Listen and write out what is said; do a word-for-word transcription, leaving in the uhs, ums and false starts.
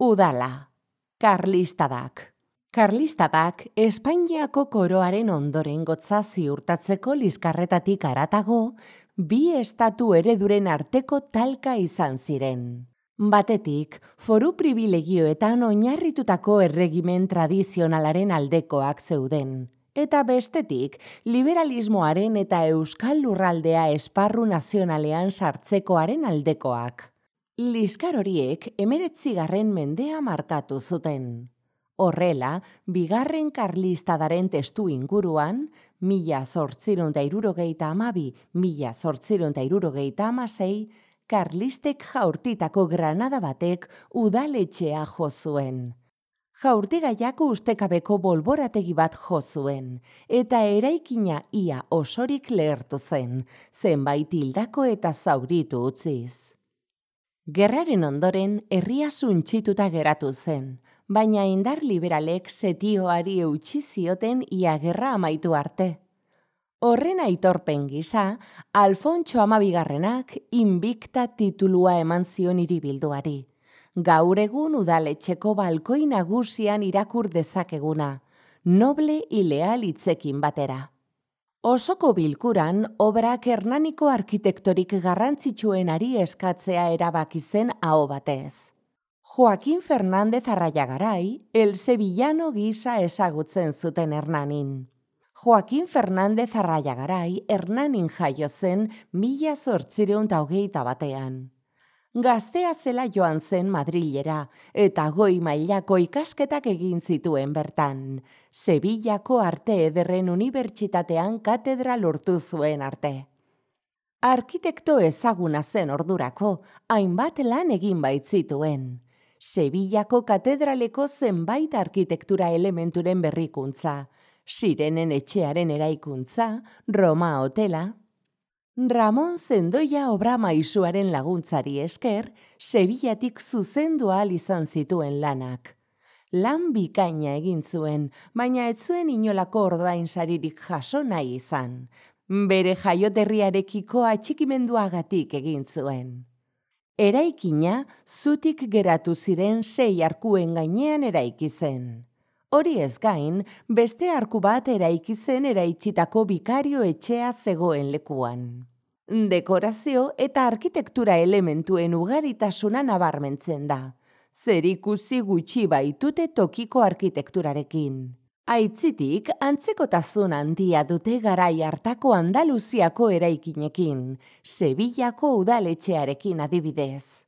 Udala, Karlistadak. Karlistadak Espainiako koroaren ondorengotza ziurtatzeko liskarretatik haratago, bi estatu ereduren arteko talka izan ziren. Batetik, foru pribilegioetan oinarritutako erregimen tradizionalaren aldekoak zeuden, eta bestetik, liberalismoaren eta euskal lurraldea esparru nazionalean sartzekoaren aldekoak. Liskar horiek hemeretzigarren mendea markatu zuten. Horrela, bigarren Karlistadaren testu inguruan, mila zortziehun eta hirurogeita hamabi, mila zortziehun eta hirurogeita hamasei, Karlistek jaurtitako granada batek udaletxea jo zuen. Jaurtigaiak ustekabeko bolborategi bat jo zuen, eta eraikina ia osorik lehertu zen, zenbait hildako eta zauritu utziz. Gerraren ondoren herria suntsituta geratu zen, baina indar liberalek setioari eutsi zioten ia gerra amaitu arte. Horren aitorpen gisa, Alfontso Hamabigarrenak Invicta titulua eman zion hiribilduari. Gaur egun udaletxeko balkoi nagusian irakur dezakeguna, noble ileal hitzekin batera. Osoko bilkuran, obrak Hernaniko arkitektorik garrantzitsuenari eskatzea erabaki zen aho batez. Joaquín Fernández Arraiagarai, el sevillano gisa ezagutzen zuten Hernanin. Joaquín Fernández Arraiagarai Hernanin jaio zen mila zortziehun eta hogeita batean. Gaztea zela joan zen Madrilera eta goi mailako ikasketak egin zituen bertan. Sevillako Arte Ederren Unibertsitatean katedra lortu zuen arte. Arkitekto ezaguna zen ordurako, hainbat lan egin baitzituen. Sevillako katedraleko zenbait arkitektura elementuren berrikuntza, Sirenen etxearen eraikuntza, Roma hotela. Ramon Zendoia obra maisuaren laguntzari esker, Sevillatik zuzendu ahal izan zituen lanak. Lan bikaina egin zuen, baina ez zuen inolako ordainsaririk jaso nahi izan. Bere jaioterriarekiko atxikimenduagatik egin zuen. Eraikina zutik geratu ziren sei arkuen gainean eraiki zen. Hori ez gain, beste arku bat eraiki zen eraitsitako bikario etxea zegoen lekuan. Dekorazio eta arkitektura elementuen ugaritasuna nabarmentzen da. Zerikusi gutxi baitute tokiko arkitekturarekin. Aitzitik, antzekotasun handia dute garai hartako Andaluziako eraikinekin, Sevillako udaletxearekin adibidez.